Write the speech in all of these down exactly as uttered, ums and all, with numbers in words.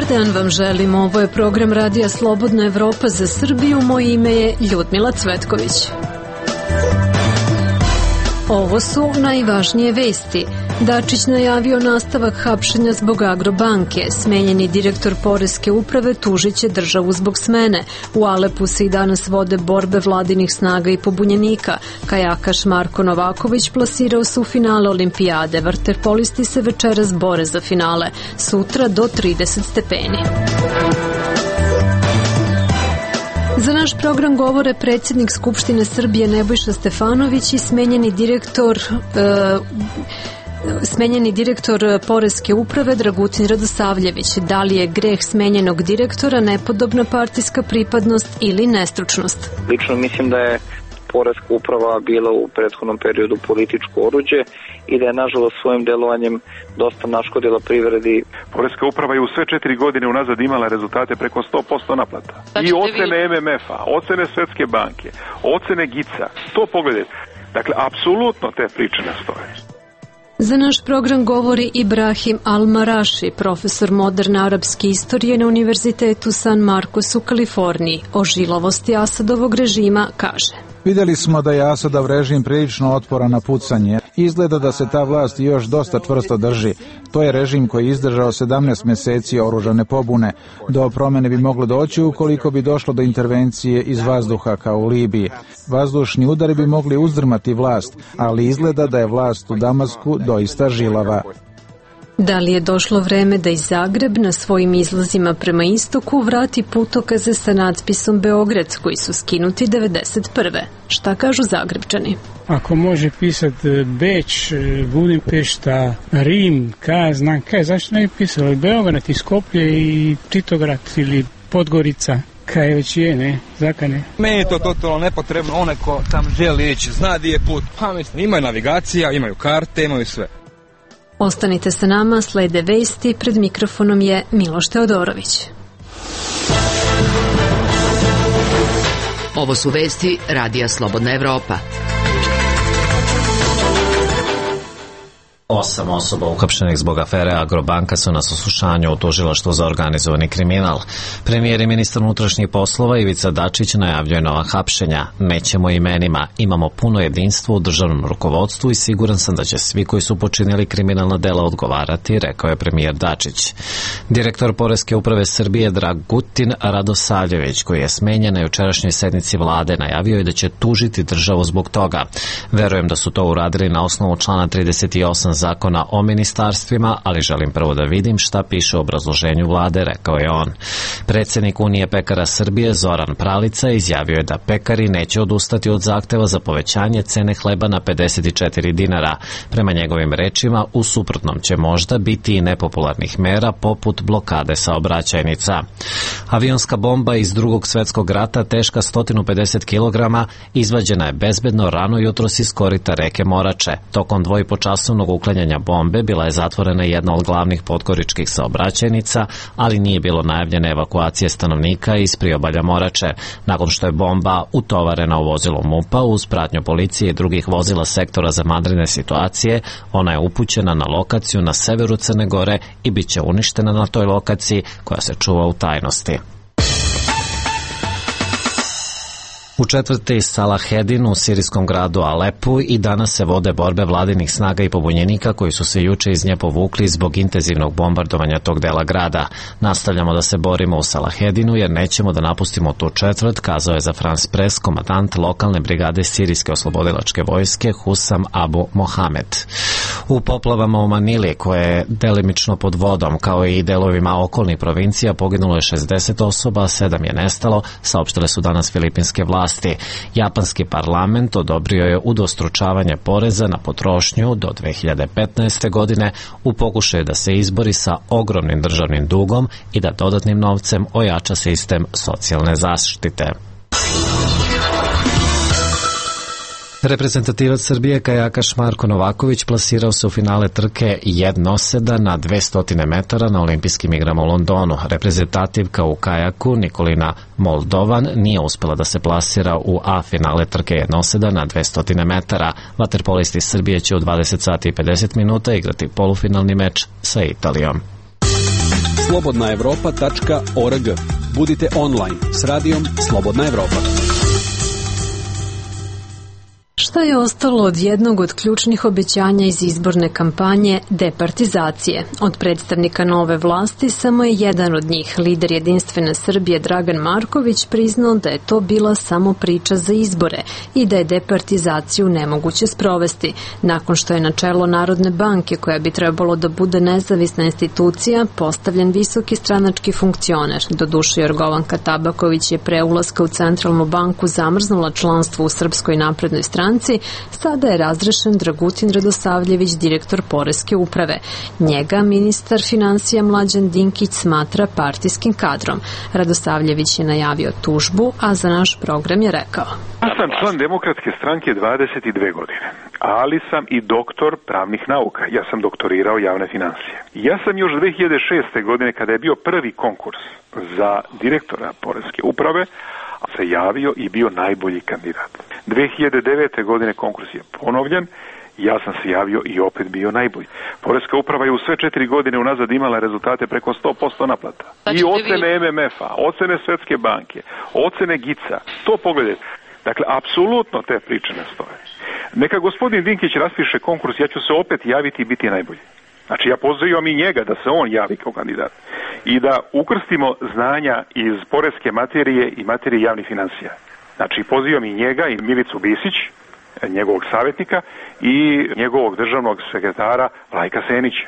dan vam želim, ovo je program Radija Slobodna Evropa za Srbiju, moje ime je Ljudmila Cvetković. Ovo su najvažnije vesti. Dačić najavio nastavak hapšenja zbog Agrobanke. Smenjeni direktor Poreske uprave tužiće državu zbog smene. U Alepu se i danas vode borbe vladinih snaga i pobunjenika. Kajakaš Marko Novaković plasirao se u finale olimpijade. Vaterpolisti se večeras bore za finale. Sutra do trideset stepeni. Za naš program govore predsjednik Skupštine Srbije Nebojša Stefanović i smenjeni direktor e, smenjeni direktor Poreske uprave Dragutin Radosavljević. Da li je greh smenjenog direktora nepodobna partijska pripadnost ili nestručnost? Lično mislim da je Poreska uprava bila u prethodnom periodu političko oruđe i da je nažalost svojim delovanjem dosta naškodila privredi. Poreska uprava je u sve četiri godine unazad imala rezultate preko sto posto naplata. I ocene M M F-a, ocene Svetske banke, ocene G I C-a. To pogledajte. Dakle, apsolutno te priče ne stoje. Za naš program govori Ibrahim Al-Maraši, profesor moderne arapske istorije na Univerzitetu San Marcos u Kaliforniji. O žilavosti Asadovog režima kaže: Vidjeli smo da je Asadov režim prilično otporan na pucanje. Izgleda da se ta vlast još dosta čvrsto drži. To je režim koji je izdržao sedamnaest mjeseci oružane pobune. Do promjene bi moglo doći ukoliko bi došlo do intervencije iz vazduha kao u Libiji. Vazdušni udari bi mogli uzdrmati vlast, ali izgleda da je vlast u Damasku doista žilava. Da li je došlo vreme da i Zagreb na svojim izlazima prema istoku vrati putokaze sa natpisom Beograd koji su skinuti devedeset prve? Šta kažu Zagrebčani? Ako može pisati Beč, Budimpešta, Rim, kaj znam kaj, zašto ne bi pisali Beograd i Skoplje i Titograd ili Podgorica? Kaj već je, ne? Zakane. Meni je to totalno nepotrebno, onaj ko tam želi ići, zna di je put. Pa mislim, imaju navigacija, imaju karte, imaju sve. Ostanite sa nama, slede vesti, pred mikrofonom je Miloš Teodorović. Ovo su vesti Radija Slobodna Evropa. Osam osoba uhapšenih zbog afere Agrobanka su na saslušanju u tužilaštvu za organizovani kriminal. Premijer i ministar unutrašnjih poslova Ivica Dačić najavljuje nova hapšenja. Nećemo imenima, imamo puno jedinstvo u državnom rukovodstvu i siguran sam da će svi koji su počinili kriminalna dela odgovarati, rekao je premijer Dačić. Direktor Poreske uprave Srbije Dragutin Radosavljević, koji je smenjen na jučerašnjoj sednici vlade, najavio je da će tužiti državu zbog toga. Verujem da su to uradili na osnovu člana trideset osam zakona o ministarstvima, ali želim prvo da vidim šta piše u obrazloženju vlade, rekao je on. Predsjednik Unije pekara Srbije Zoran Pralica izjavio je da pekari neće odustati od zahteva za povećanje cene hleba na pedeset četiri dinara. Prema njegovim rečima, u suprotnom će možda biti i nepopularnih mera poput blokade saobraćajnica. Avionska bomba iz Drugog svjetskog rata teška sto pedeset kilograma izvađena je bezbedno rano jutros iz korita reke Morače. Tokom dvojipočasovnog uklanjanja bombe bila je zatvorena jedna od glavnih podgoričkih saobraćajnica, ali nije bilo najavljene evakuacije stanovnika iz priobalja Morače. Nakon što je bomba utovarena u vozilo MUP-a uz pratnju policije i drugih vozila sektora za vanredne situacije, ona je upućena na lokaciju na severu Crne Gore i bit će uništena na toj lokaciji koja se čuva u tajnosti. U četvrti Salahedin u sirijskom gradu Alepu i danas se vode borbe vladinih snaga i pobunjenika koji su se juče iz nje povukli zbog intenzivnog bombardovanja tog dela grada. Nastavljamo da se borimo u Salahedinu jer nećemo da napustimo tu četvrt, kazao je za France Press komandant lokalne brigade sirijske oslobodilačke vojske Husam Abu Mohamed. U poplavama u Manili, koje je delimično pod vodom, kao i delovima okolnih provincija, poginulo je šezdeset osoba, a sedam je nestalo, saopštile su danas filipinske vlasti. Japanski parlament odobrio je udvostručavanje poreza na potrošnju do dve hiljade petnaeste. godine u pokušaju da se izbori sa ogromnim državnim dugom i da dodatnim novcem ojača sistem socijalne zaštite. Reprezentativac Srbije kajakaš Marko Novaković plasirao se u finale trke jednoseda na dvesta metara na olimpijskim igrama u Londonu. Reprezentativka u kajaku Nikolina Moldovan nije uspela da se plasira u A finale trke jednoseda na dvesta metara. Vaterpolisti Srbije će u dvadeset sati i pedeset minuta igrati polufinalni meč sa Italijom. slobodna evropa tačka org. Budite online s radijom Slobodna Evropa. Šta je ostalo od jednog od ključnih obećanja iz izborne kampanje departizacije? Od predstavnika nove vlasti samo je jedan od njih, lider Jedinstvene Srbije Dragan Marković, priznao da je to bila samo priča za izbore i da je departizaciju nemoguće sprovesti. Nakon što je na čelo Narodne banke, koja bi trebalo da bude nezavisna institucija, postavljen visoki stranački funkcioner. Doduše, Jorgovanka Tabaković je pre ulaska u Centralnu banku zamrznula članstvo u Srpskoj naprednoj stranci. Sada je razrešen Dragutin Radosavljević, direktor Poreske uprave. Njega ministar finansija Mlađan Dinkić smatra partijskim kadrom. Radosavljević je najavio tužbu, a za naš program je rekao: Ja sam član Demokratske stranke dvadeset dve godine, ali sam i doktor pravnih nauka. Ja sam doktorirao javne finansije. Ja sam još dve hiljade šeste. godine, kada je bio prvi konkurs za direktora Poreske uprave, se javio i bio najbolji kandidat. dve hiljade devete. godine konkurs je ponovljen, ja sam se javio i opet bio najbolji. Poreska uprava je u sve četiri godine unazad imala rezultate preko sto posto naplata. I ocene em em efa, ocene Svetske banke, ocene gica, to pogledajte. Dakle, apsolutno te priče ne stoje. Neka gospodin Dinkić raspiše konkurs, ja ću se opet javiti i biti najbolji. Znači, ja pozivam i njega da se on javi kao kandidat i da ukrstimo znanja iz poreske materije i materije javnih finansija. Znači, pozivam i njega i Milicu Bisić, njegovog savjetnika, i njegovog državnog sekretara Vlajka Senića.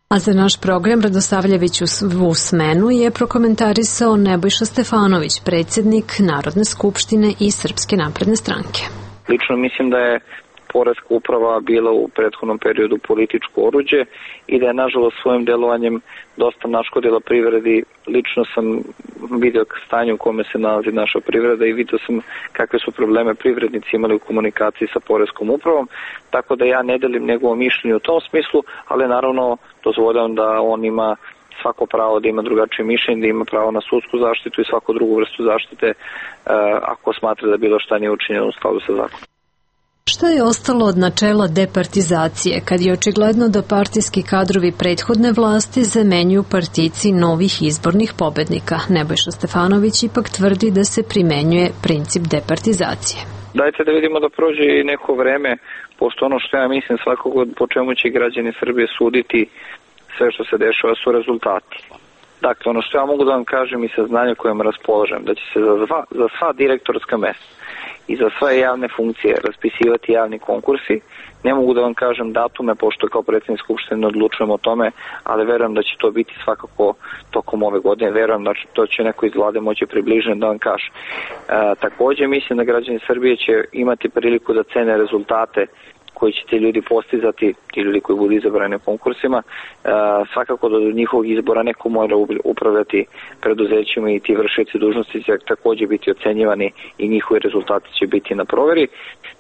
A za naš program Radosavljević u smenu je prokomentarisao Nebojša Stefanović, predsjednik Narodne skupštine i Srpske napredne stranke. Lično mislim da je Poreska uprava bila u prethodnom periodu političko oruđe i da je nažalost svojim delovanjem dosta naškodila privredi. Lično sam vidio stanje u kome se nalazi naša privreda i vidio sam kakve su probleme privrednici imali u komunikaciji sa Poreskom upravom, tako da ja ne delim njegovo mišljenje u tom smislu, ali naravno dozvoljavam da on ima svako pravo da ima drugačije mišljenje, da ima pravo na sudsku zaštitu i svaku drugu vrstu zaštite ako smatra da bilo šta nije učinjeno u skladu sa zakonom. Šta je ostalo od načela departizacije, kad je očigledno da partijski kadrovi prethodne vlasti zamenjuju partijci novih izbornih pobednika? Nebojša Stefanović ipak tvrdi da se primenjuje princip departizacije. Dajte da vidimo da prođe i neko vreme, pošto ono što ja mislim svakog po čemu će građani Srbije suditi sve što se dešava su rezultati. Dakle, ono što ja mogu da vam kažem i saznanje kojem raspolažem, da će se za sva, za sva direktorska mesta i za sve javne funkcije raspisivati javni konkursi. Ne mogu da vam kažem datume, pošto kao predsjednik Skupštine ne odlučujem o tome, ali verujem da će to biti svakako tokom ove godine. Verujem da to će neko iz vlade moći približeno da vam kaže. E, također mislim da građani Srbije će imati priliku da cene rezultate koji će ti ljudi postizati, ti ljudi koji budu izabrani na konkursima. E, svakako da do njihovog izbora neko mora upravljati preduzećima i ti vršioci dužnosti će također biti ocenjivani i njihovi rezultati će biti na proveri.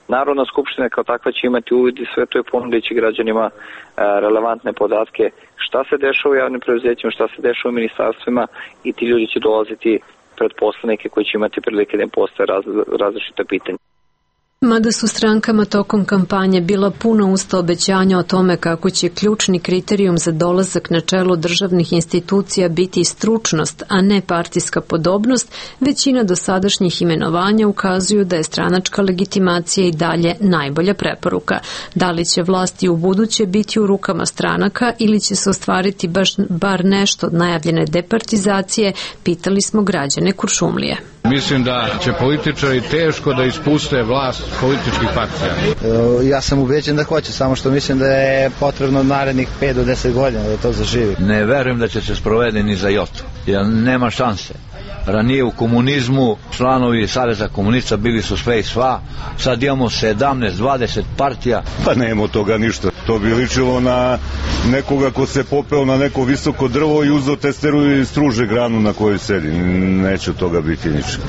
Narodna skupština kao takva će imati uvid i sve to je ponudeći građanima e, relevantne podatke šta se dešava u javnim preduzećima, šta se dešava u ministarstvima i ti ljudi će dolaziti pred poslanike koji će imati prilike da im postoje raz, različita pitanja. Mada su strankama tokom kampanje bila puna usta obećanja o tome kako će ključni kriterijum za dolazak na čelo državnih institucija biti stručnost, a ne partijska podobnost, većina dosadašnjih imenovanja ukazuju da je stranačka legitimacija i dalje najbolja preporuka. Da li će vlasti u buduće biti u rukama stranaka ili će se ostvariti baš bar nešto od najavljene departizacije, pitali smo građane Kuršumlije. Mislim da će političari teško da ispuste vlast političkih partija. Ja sam ubeđen da hoće, samo što mislim da je potrebno narednih pet do deset godina da to zaživi. Ne verujem da će se sprovede ni za jotu, jer nema šanse. Ranije u komunizmu članovi Saveza komunista bili su sve i sva, sad imamo sedamnaest dvadeset partija. Pa nema od toga ništa. To bi ličilo na nekoga ko se popeo na neko visoko drvo i uzeo testeru i struže granu na kojoj sedi. Neće od toga biti ništa.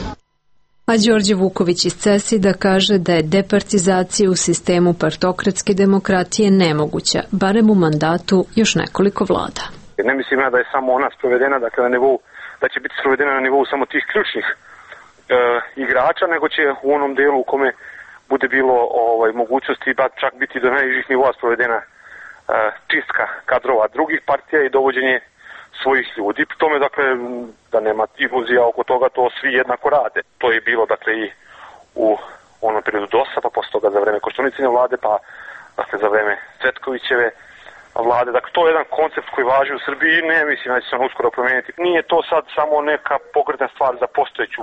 A Đorđe Vuković iz Cesida kaže da je departizacija u sistemu partokratske demokratije nemoguća, barem u mandatu još nekoliko vlada. Ne mislim ja da je samo ona sprovedena, dakle na nivou, da će biti sprovedena na nivou samo tih ključnih e, igrača, nego će u onom delu u kome bude bilo ovaj, mogućnosti ba čak biti do najnižih nivoa sprovedena e, čistka kadrova drugih partija i dovođenje svojih ljudi. Pri tome, dakle, da nema iluzija oko toga, to svi jednako rade. To je bilo, dakle, i u onom periodu dosa, pa posle toga za vreme Koštunicine vlade, pa dakle, za vreme Cvetkovićeve vlade. Dakle, to je jedan koncept koji važi u Srbiji i ne mislim da će se on uskoro promeniti. Nije to sad samo neka pokretna stvar za postojeću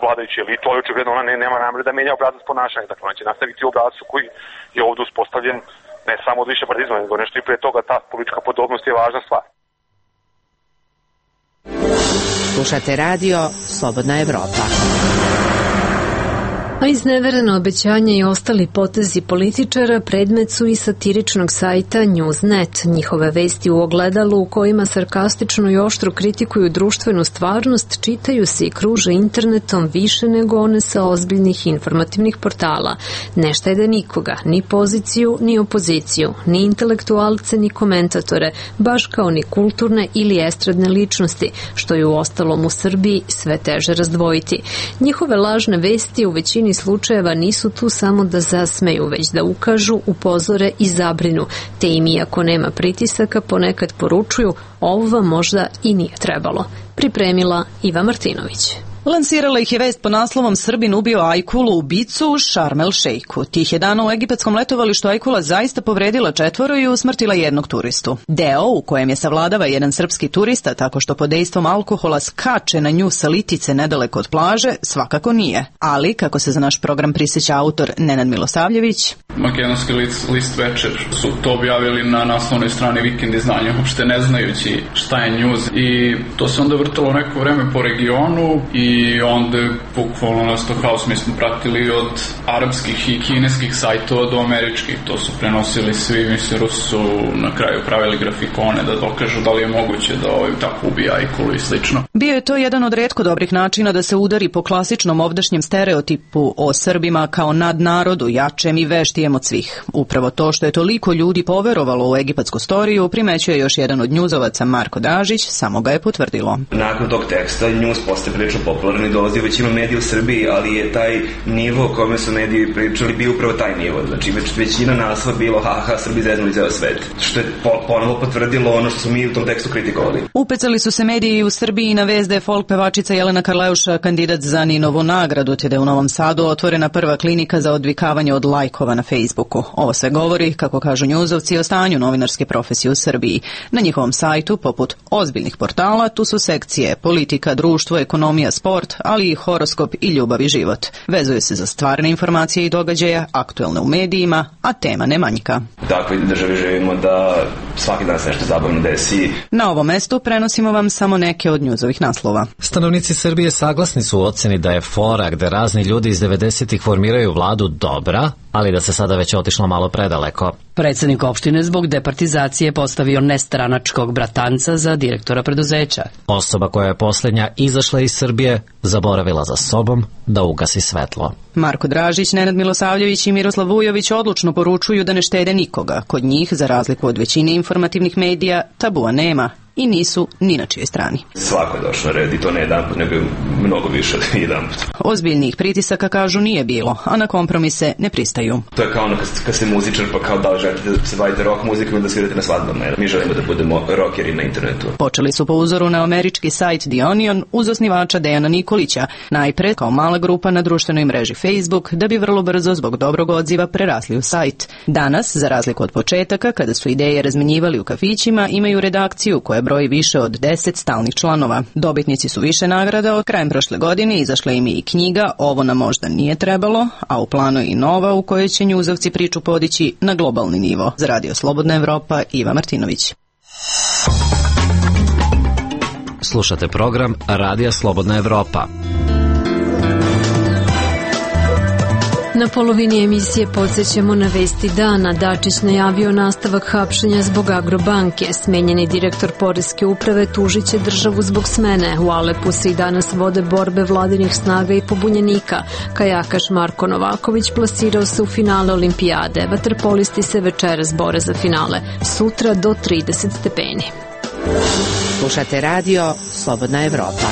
vladajuću elitu, ali očigledno ona ne, nema namere da menja obrazac ponašanja. Dakle, ona će nastaviti u obrazcu koji je ovdje uspostavljen ne samo od više partizma, nego nešto i pre toga. Ta politička podobnost je važna stvar. Slušate radio Slobodna Evropa. A izneverena obećanja i ostali potezi političara predmet su i satiričnog sajta Newsnet. Njihove vesti u ogledalu u kojima sarkastično i oštro kritikuju društvenu stvarnost čitaju se i kruže internetom više nego one sa ozbiljnih informativnih portala. Ne štede nikoga, ni poziciju, ni opoziciju, ni intelektualce, ni komentatore, baš kao ni kulturne ili estradne ličnosti, što je u ostalom u Srbiji sve teže razdvojiti. Njihove lažne vesti u većini slučajeva nisu tu samo da zasmeju, već da ukažu, upozore i zabrinu, te im iako nema pritisaka ponekad poručuju ovo vam možda i nije trebalo. Pripremila Iva Martinović. Lansirala ih je vest po naslovom Srbin ubio Ajkulu ubicu u Šarm el Šejku. Tih je dana u egipatskom letovalištu Ajkula zaista povredila četvoro i usmrtila jednog turistu. Deo u kojem je savladava jedan srpski turista tako što pod dejstvom alkohola skače na nju sa litice nedaleko od plaže, svakako nije. Ali, kako se za naš program prisjeća autor Nenad Milosavljević, Makedonski list, list Večer su to objavili na naslovnoj strani Vikend izdanja, uopšte ne znajući šta je news, i to se onda vrtalo neko vreme po regionu i onda bukvalno nas to haos mi smo pratili od arapskih i kineskih sajtova do američkih. To su prenosili svi, mislim, Rusi su na kraju pravili grafikone da dokažu da li je moguće da ovaj tako ubija Ajkulu i slično. Bio je to jedan od retko dobrih načina da se udari po klasičnom ovdašnjem stereotipu o Srbima kao nadnarodu, jačem i veštijem od svih. Upravo to što je toliko ljudi poverovalo u egipatsku storiju primećuje još jedan od njuzovaca, Marko Dražić, samo ga je potvrdilo. Nakon tog teksta njuz postaje prilično popularni, dolazi u većinu medija u Srbiji, ali je taj nivo o kome su mediji pričali bio upravo taj nivo. Znači većina naslova bilo haha, Srbi zeznuli ceo svet. Što je ponovo potvrdilo ono što su mi u tom tekstu kritikovali. Upecali su se mediji u Srbiji na vest da je folk pevačica Jelena Karleuša kandidat za Ninovu nagradu, te da je u Novom Sadu otvorena prva klinika za odvikavanje od lajkova na Facebooku. Ovo sve govori, kako kažu njuzovci, o stanju novinarske profesije u Srbiji. Na njihovom sajtu, poput ozbiljnih portala, tu su sekcije politika, društvo, ekonomija, sport, ali i horoskop i ljubav i život. Vezuje se za stvarne informacije i događaja, aktuelne u medijima, a tema ne manjka. U takvoj državi živimo da svaki dan se nešto zabavno desi. Na ovom mestu prenosimo vam samo neke od njuzovih naslova. Stanovnici Srbije saglasni su u oceni da je fora gde razni ljudi iz devedesetih formiraju vladu dobra, ali da se sada već otišlo malo predaleko. Predsjednik opštine zbog departizacije postavio nestranačkog bratanca za direktora preduzeća. Osoba koja je posljednja izašla iz Srbije zaboravila za sobom da ugasi svetlo. Marko Dražić, Nenad Milosavljević i Miroslav Vujović odlučno poručuju da ne štede nikoga. Kod njih, za razliku od većine informativnih medija, tabua nema i nisu ni na čijoj strani. Svako je došlo na red i to ne jedan put, nego mnogo više od jedan put. Ozbiljnih pritisaka, kažu, nije bilo, a na kompromise ne pristaju. To je kao ono kad, kad ste muzičar, pa kao da li želite da se bavite rock muzikom ili da svirate na svadbama. Mi želimo da budemo rockeri na internetu. Počeli su po uzoru na američki sajt The Onion uz osnivača Dejana Nikolića, najpre kao mala grupa na društvenoj mreži Facebook, da bi vrlo brzo zbog dobrog odziva prerasli u sajt. Danas, za razliku od početaka, kada su ideje razmenjivali u kafićima, imaju redakciju koja broji više od deset stalnih članova. Dobitnici su više nagrada, od krajem prošle godine izašla im je i knjiga Ovo nam možda nije trebalo, a u planu je i nova u kojoj će njuzovci priču podići na globalni nivo. Za Radio Slobodna Evropa, Iva Martinović. Slušate program Radija Slobodna Evropa. Na polovini emisije podsjećamo na vesti dana. Dačić najavio nastavak hapšenja zbog Agrobanke. Smenjeni direktor Poreske uprave tužit će državu zbog smene. U Alepu se i danas vode borbe vladinih snaga i pobunjenika. Kajakaš Marko Novaković plasirao se u finale olimpijade. Vaterpolisti se večeras bore za finale. Sutra do trideset stepeni. Slušate radio Slobodna Evropa.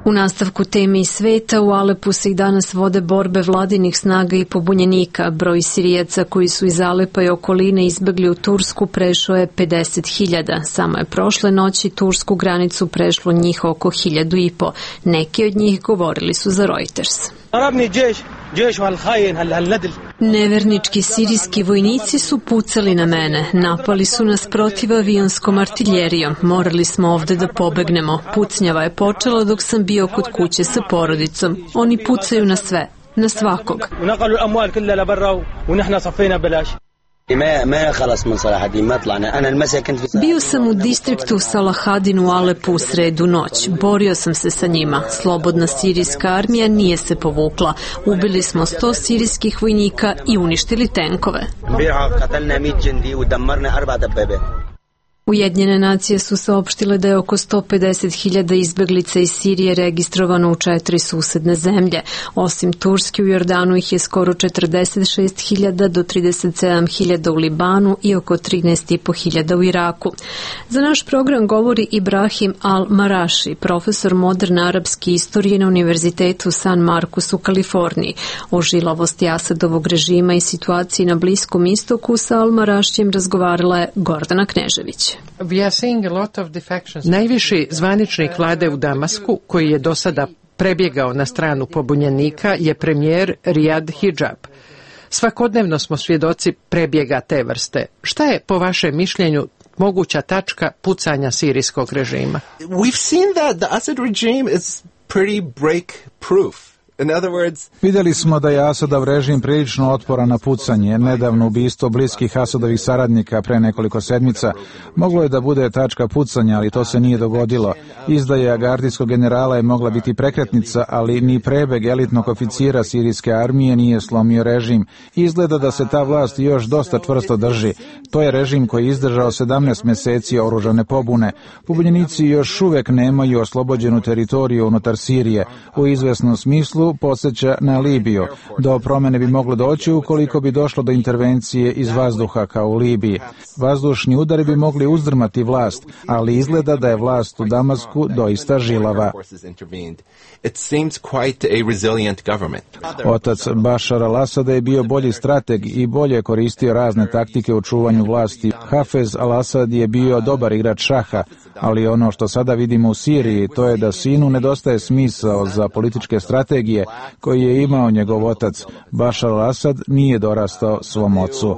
U nastavku teme i sveta, u Alepu se i danas vode borbe vladinih snaga i pobunjenika. Broj Sirijaca koji su iz Alepa i okoline izbegli u Tursku prešao je pedeset hiljada. Samo je prošle noći tursku granicu prešlo njih oko hiljadu i po. Neki od njih govorili su za Reuters. Nevernički sirijski vojnici su pucali na mene. Napali su nas protiv avijonskom artiljerijom. Morali smo ovde da pobegnemo. Pucnjava je počela dok sam bio kod kuće sa porodicom. Oni pucaju na sve, na svakog. Bio sam u distriktu Salahadin u Alepu u sredu noć. Borio sam se sa njima. Slobodna sirijska armija nije se povukla. Ubili smo sto sirijskih vojnika i uništili tenkove. Ujedinjene nacije su saopštile da je oko sto pedeset hiljada izbeglica iz Sirije registrovano u četiri susedne zemlje. Osim Turske, u Jordanu ih je skoro četrdeset šest hiljada do trideset sedam hiljada u Libanu i oko trinaest i po hiljada u Iraku. Za naš program govori Ibrahim Al-Maraši, profesor moderne arapske istorije na Univerzitetu San Marcos u Kaliforniji. O žilavosti Asadovog režima i situaciji na Bliskom istoku sa Al-Marašijem razgovarala je Gordana Knežević. Najviši zvaničnik vlade u Damasku, koji je do sada prebjegao na stranu pobunjenika, je premijer Riyad Hijab. Svakodnevno smo svjedoci prebjega te vrste. Šta je, po vašem mišljenju, moguća tačka pucanja sirijskog režima? We've seen that the Assad regime is pretty break proof. In other words, vidjeli smo da je Asadov režim prilično otporan na pucanje. Nedavno ubistvo bliskih Asadovih saradnika pre nekoliko sedmica moglo je da bude tačka pucanja, ali to se nije dogodilo. Izdaja gardijskog generala je mogla biti prekretnica, ali ni prebeg elitnog oficira sirijske armije nije slomio režim. Izgleda da se ta vlast još dosta čvrsto drži. To je režim koji je izdržao sedamnaest meseci oružane pobune. Pobunjenici još uvek nemaju oslobođenu teritoriju unutar Sirije. U izvesnom smislu podsjeća na Libiju. Do promene bi moglo doći ukoliko bi došlo do intervencije iz vazduha kao u Libiji. Vazdušni udari bi mogli uzdrmati vlast, ali izgleda da je vlast u Damasku doista žilava. Otac Bašar al-Asada je bio bolji strateg i bolje koristio razne taktike u čuvanju vlasti. Hafez al-Asad je bio dobar igrač šaha, ali ono što sada vidimo u Siriji, to je da sinu nedostaje smisao za političke strategije koji je imao njegov otac. Bašar al-Asad nije dorastao svom ocu.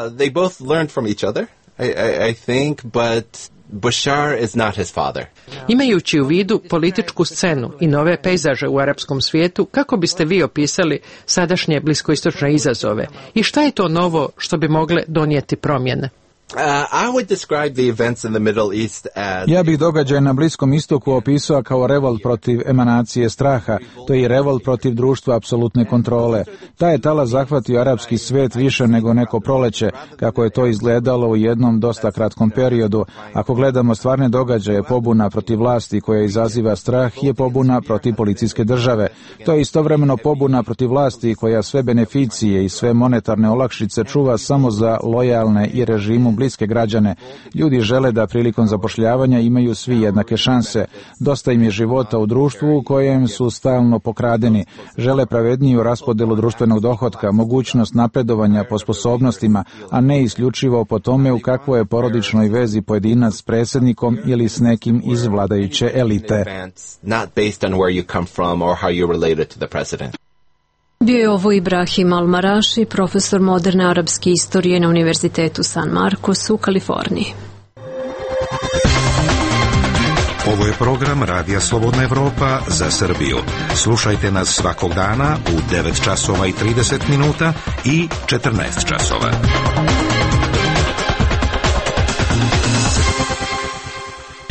They both learned from each other, I, I, I think, but Bashar is not his father. Imajući u vidu političku scenu i nove pejzaže u arapskom svijetu, kako biste vi opisali sadašnje bliskoistočne izazove i šta je to novo što bi mogle donijeti promjene? Uh, I would describe the events in the Middle East as... Ja bih događaj na Bliskom istoku opisao kao revolt protiv emanacije straha, to je i revolt protiv društva apsolutne kontrole. Ta je tala zahvatio arapski svet više nego neko proleće, kako je to izgledalo u jednom dosta kratkom periodu. Ako gledamo stvarne događaje, pobuna protiv vlasti koja izaziva strah je pobuna protiv policijske države. To je istovremeno pobuna protiv vlasti koja sve beneficije i sve monetarne olakšice čuva samo za lojalne i režimu bliske građane. Ljudi žele da prilikom zapošljavanja imaju svi jednake šanse. Dosta im je života u društvu u kojem su stalno pokradeni. Žele pravedniju raspodelu društvenog dohotka, mogućnost napredovanja po sposobnostima, a ne isključivo po tome u kakvoj je porodičnoj vezi pojedinac s predsjednikom ili s nekim iz vladajuće elite. Bio je ovo Ibrahim Al-Maraši, profesor moderne arapske istorije na Univerzitetu San Marcos u Kaliforniji. Ovo je program Radija Slobodna Evropa za Srbiju. Slušajte nas svakog dana u devet časova i trideset minuta i četrnaest časova.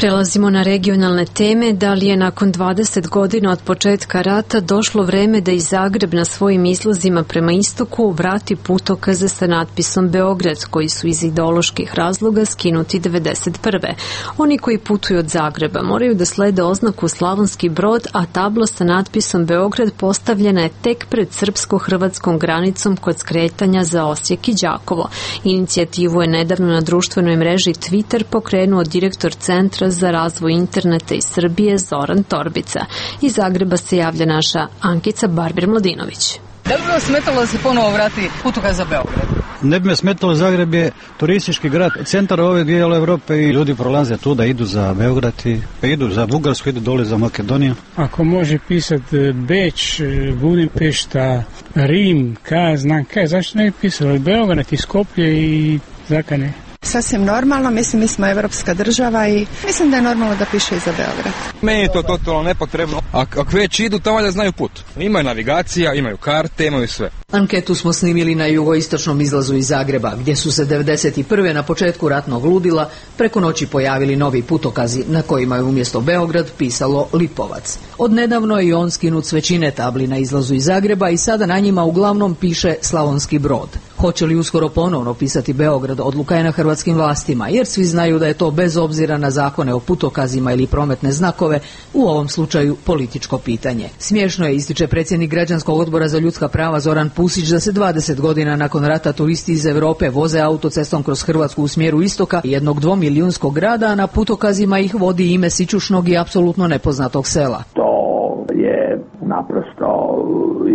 Prelazimo na regionalne teme. Da li je nakon dvadeset godina od početka rata došlo vreme da i Zagreb na svojim izlazima prema istoku vrati putokaze sa natpisom Beograd, koji su iz ideoloških razloga skinuti devedeset prve. Oni koji putuju od Zagreba moraju da slede oznaku Slavonski Brod, a tabla sa natpisom Beograd postavljena je tek pred srpsko-hrvatskom granicom kod skretanja za Osijek i Đakovo. Inicijativu je nedavno na društvenoj mreži Twitter pokrenuo direktor Centra direktora za razvoj interneta iz Srbije Zoran Torbica. Iz Zagreba se javlja naša Ankica Barbir-Mladinović. Da li bi vas smetalo da se ponovo vrati putokaz za Beograd? Ne bi me smetalo, Zagreb je turistički grad, centar ove dijela Evrope i ljudi prolaze tu da idu za Beograd i pa idu za Bugarsku, idu dole za Makedoniju. Ako može pisati Beč, Budimpešta, Rim, kaj znam kaj, zašto ne bi pisali Beograd i Skoplje i Zakane? Sasvim normalno, mislim mi smo evropska država i mislim da je normalno da piše i za Beograd. Meni je to totalno nepotrebno. Ako već idu, tamo da znaju put. Imaju navigacija, imaju karte, imaju sve. Anketu smo snimili na jugoistočnom izlazu iz Zagreba, gdje su se devedeset prve na početku ratnog ludila preko noći pojavili novi putokazi na kojima je umjesto Beograd pisalo Lipovac. Odnedavno je on skinut s većine tabli na izlazu iz Zagreba i sada na njima uglavnom piše Slavonski Brod. Hoće li uskoro ponovno pisati Beograd, odluka je na hrvatskim vlastima, jer svi znaju da je to bez obzira na zakone o putokazima ili prometne znakove, u ovom slučaju političko pitanje. Smiješno je, ističe predsjednik Građanskog odbora za ljudska prava Zoran Pusić, da se dvadeset godina nakon rata turisti iz Europe voze autocestom kroz Hrvatsku u smjeru istoka jednog dvomilijunskog grada, a na putokazima ih vodi ime sićušnog i apsolutno nepoznatog sela. To je naprosto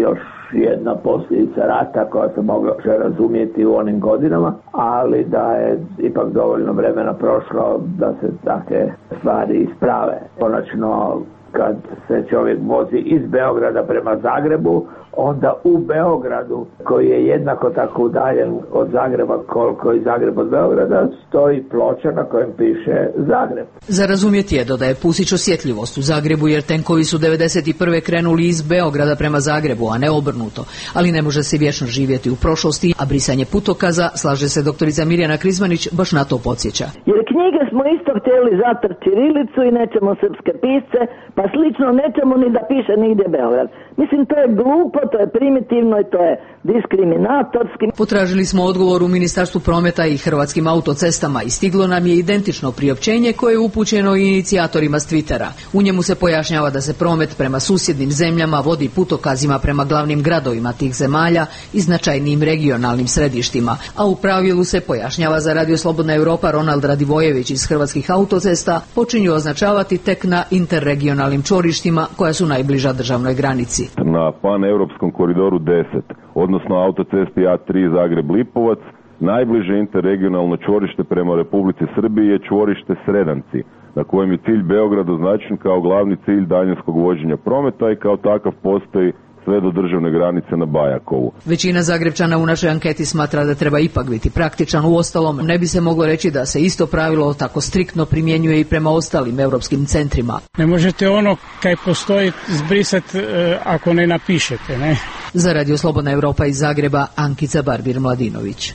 još jedna posljedica rata koja se mogla razumjeti u onim godinama, ali da je ipak dovoljno vremena prošlo da se takve stvari isprave. Konačno, kad se čovjek vozi iz Beograda prema Zagrebu, onda u Beogradu, koji je jednako tako udaljen od Zagreba koliko i Zagreb od Beograda, stoji ploča na kojem piše Zagreb. Za razumjeti je, dodaje Pusić, osjetljivost u Zagrebu, jer tenkovi su devedeset prve krenuli iz Beograda prema Zagrebu, a ne obrnuto. Ali ne može se vječno živjeti u prošlosti, a brisanje putokaza, slaže se doktorica Mirjana Krizmanić, baš na to podsjeća. Jer knjige smo isto htjeli zatrti ćirilicu i nećemo srpske pisce, pa slično nećemo ni da piše nigdje Beograd. Mislim, to je glupo, to je primitivno i to je diskriminatorski. Potražili smo odgovor u Ministarstvu prometa i Hrvatskim autocestama i stiglo nam je identično priopćenje koje je upućeno inicijatorima s Twittera. U njemu se pojašnjava da se promet prema susjednim zemljama vodi putokazima prema glavnim gradovima tih zemalja i značajnim regionalnim središtima, a u pravilu se pojašnjava za Radio Slobodna Europa Ronald Radivojević iz Hrvatskih autocesta počinju označavati tek na interregionalnim čvorištima koja su najbliža državnoj granici. Na paneuropskom koridoru deset, odnosno autocesti A tri Zagreb-Lipovac, najbliže interregionalno čvorište prema Republici Srbiji je čvorište Sredanci, na kojem je cilj Beograd označen kao glavni cilj daljinskog vođenja prometa i kao takav postoji sve do državne granice na Bajakovu. Većina Zagrebčana u našoj anketi smatra da treba ipak biti praktičan. Uostalom, ne bi se moglo reći da se isto pravilo tako striktno primjenjuje i prema ostalim europskim centrima. Ne možete ono kaj postoji zbrisati e, ako ne napišete, ne? Za Radio Slobodna Europa iz Zagreba, Ankica Barbir-Mladinović.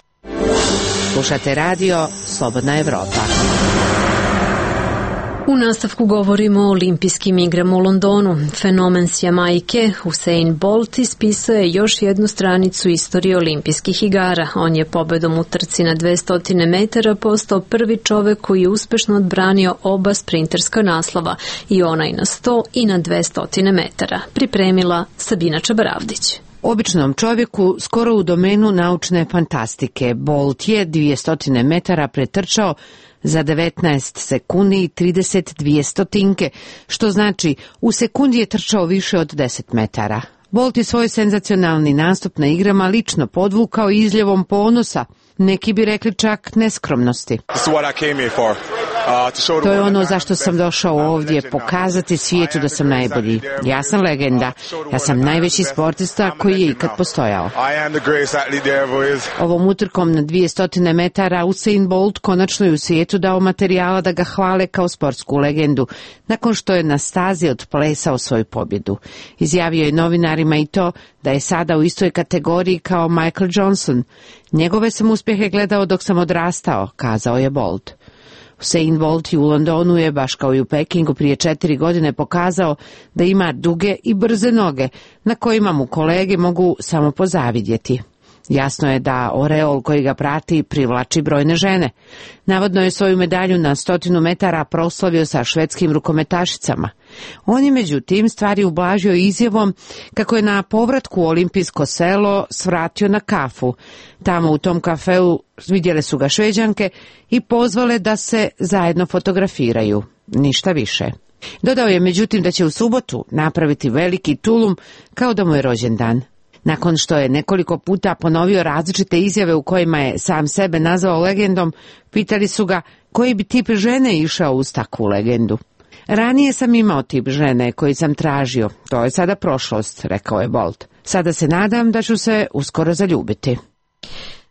Slušate radio Slobodna Evropa. U nastavku govorimo o olimpijskim igrama u Londonu. Fenomen s Jamajke, Usain Bolt, ispisao je još jednu stranicu istorije olimpijskih igara. On je pobedom u trci na dvesta metara postao prvi čovek koji je uspešno odbranio oba sprinterska naslova, i onaj na sto i na dvesta metara. Pripremila Sabina Čabaravdić. Običnom čovjeku skoro u domenu naučne fantastike. Bolt je dvesta metara pretrčao za devetnaest sekundi i trideset dvije stotinke, što znači u sekundi je trčao više od deset metara. Bolt je svoj senzacionalni nastup na igrama lično podvukao izljevom ponosa, neki bi rekli čak neskromnosti. To je ono zašto sam došao ovdje, pokazati svijetu da sam najbolji. Ja sam legenda, ja sam najveći sportista koji je ikad postojao. Ovom utrkom na dvesta metara Usain Bolt konačno je u svijetu dao materijala da ga hvale kao sportsku legendu, nakon što je na stazi odplesao svoju pobjedu. Izjavio je novinarima i to da je sada u istoj kategoriji kao Michael Johnson. Njegove sam uspjehe gledao dok sam odrastao, kazao je Bolt. Usain Bolt u Londonu je, baš kao i u Pekingu prije četiri godine, pokazao da ima duge i brze noge, na kojima mu kolege mogu samo pozavidjeti. Jasno je da oreol koji ga prati privlači brojne žene. Navodno je svoju medalju na stotinu metara proslavio sa švedskim rukometašicama. On je međutim stvari ublažio izjavom kako je na povratku u olimpijsko selo svratio na kafu. Tamo u tom kafeu vidjele su ga Šveđanke i pozvale da se zajedno fotografiraju. ništa više. Dodao je međutim da će u subotu napraviti veliki tulum kao da mu je rođendan. Nakon što je nekoliko puta ponovio različite izjave u kojima je sam sebe nazvao legendom, pitali su ga koji bi tip žene išao uz takvu legendu. Ranije sam imao tip žene koji sam tražio, to je sada prošlost, rekao je Bolt. Sada se nadam da ću se uskoro zaljubiti.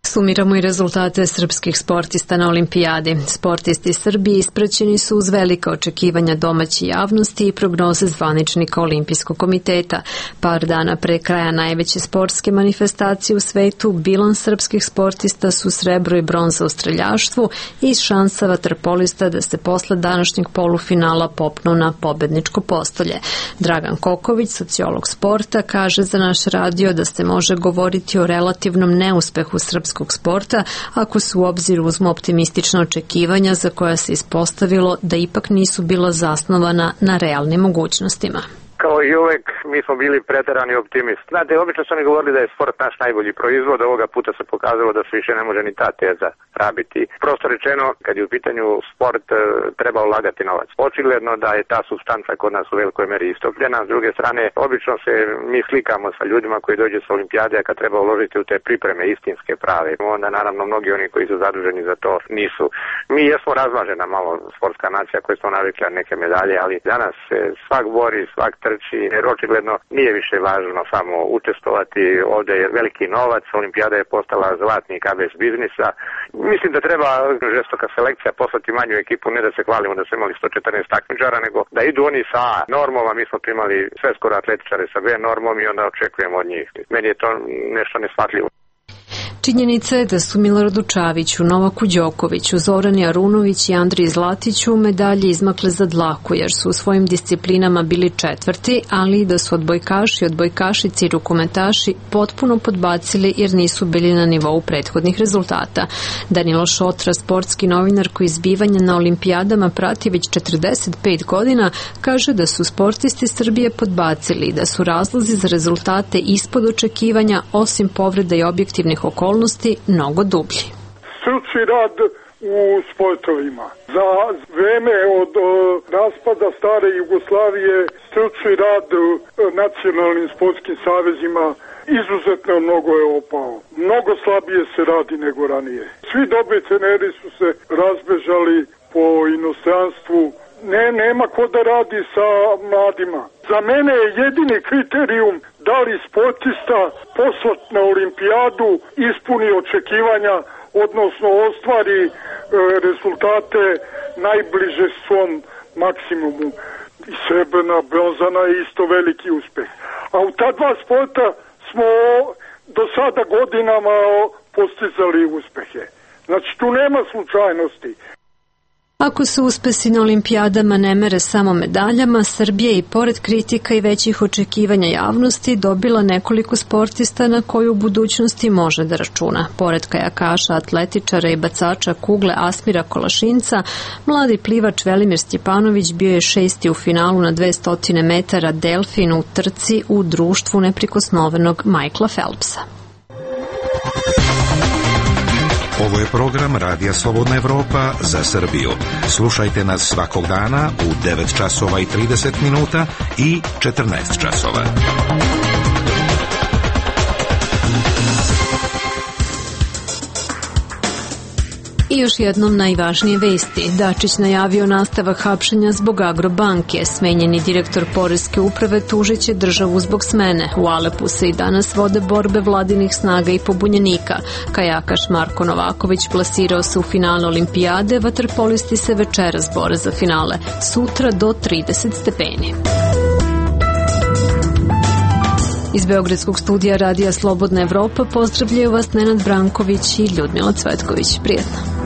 Sumiramo i rezultate srpskih sportista na olimpijadi. Sportisti Srbije ispraćeni su uz velika očekivanja domaće javnosti i prognoze zvaničnika Olimpijskog komiteta. Par dana pre kraja najveće sportske manifestacije u svetu, bilans srpskih sportista su srebro i bronza u streljaštvu i šansa vaterpolista da se posle današnjeg polufinala popnu na pobedničko postolje. Dragan Koković, sociolog sporta, kaže za naš radio da se može govoriti o relativnom neuspehu srpskog sporta ako su u obzir uzmu optimistična očekivanja za koja se ispostavilo da ipak nisu bila zasnovana na realnim mogućnostima. Kao i uvek, mi smo bili preterani optimisti. Znate, obično su oni govorili da je sport naš najbolji proizvod, ovoga puta se pokazalo da se više ne može ni ta teza rabiti. Prosto rečeno, kad je u pitanju sport, treba ulagati novac. Očigledno da je ta supstanca kod nas u velikoj meri istopljena. S druge strane, obično se mi slikamo sa ljudima koji dođu sa olimpijade, a kad treba uložiti u te pripreme istinske prave. Onda naravno mnogi oni koji su zaduženi za to nisu. Mi jesmo razmažena malo sportska nacija koja smo navikli na neke medalje, ali danas se svak bori, svak trči, jer očigledno nije više važno samo učestvovati, ovdje je veliki novac, olimpijada je postala zlatni kabez biznisa. Mislim da treba žestoka selekcija, poslati manju ekipu, ne da se hvalimo da smo imali sto četrnaest takmičara, nego da idu oni sa A normom, a mi smo primali sve skoro atletičare sa B normom i onda očekujemo od njih. Meni je to nešto neshvatljivo. Činjenica je da su Miloradu Čaviću, Novaku Đokoviću, Zorani Arunović i Andriji Zlatiću medalje izmakle za dlaku jer su u svojim disciplinama bili četvrti, ali i da su odbojkaši, odbojkašici i rukometaši potpuno podbacili jer nisu bili na nivou prethodnih rezultata. Danilo Šotra, sportski novinar koji zbivanja na olimpijadama prati već četrdeset pet godina, kaže da su sportisti Srbije podbacili i da su razlozi za rezultate ispod očekivanja, osim povreda i objektivnih okolnosti, mnogo dublji. Stručni rad u sportovima. Za vreme od o, raspada stare Jugoslavije stručni rad u nacionalnim sportskim savezima izuzetno mnogo je opao. Mnogo slabije se radi nego ranije. Svi dobri treneri su se razbežali po inostranstvu. Ne, nema ko da radi sa mladima. Za mene je jedini kriterijum da li sportista poslat na olimpijadu ispuni očekivanja, odnosno ostvari e, rezultate najbliže svom maksimumu. I srebrna, bronzana je isto veliki uspeh. A u ta dva sporta smo do sada godinama postizali uspehe. Znači tu nema slučajnosti. Ako se uspesi na olimpijadama ne mere samo medaljama, Srbija i pored kritika i većih očekivanja javnosti dobila nekoliko sportista na koju u budućnosti može da računa. Pored kajakaša, atletičara i bacača kugle Asmira Kolašinca, mladi plivač Velimir Stjepanović bio je šesti u finalu na dvesta metara delfin u trci u društvu neprikosnovenog Michaela Phelpsa. Ovo je program Radija Slobodna Evropa za Srbiju. Slušajte nas svakog dana u devet časova i trideset minuta i četrnaest časova. I još jednom najvažnije vesti. Dačić najavio nastavak hapšenja zbog Agrobanke. Smenjeni direktor Poreske uprave tužiće državu zbog smene. U Alepu se i danas vode borbe vladinih snaga i pobunjenika. Kajakaš Marko Novaković plasirao se u finale olimpijade, vaterpolisti se večeras bore za finale. Sutra do trideset stepeni. Iz Beogradskog studija Radija Slobodna Evropa pozdravljaju vas Nenad Branković i Ljudmila Cvetković. Prijetno.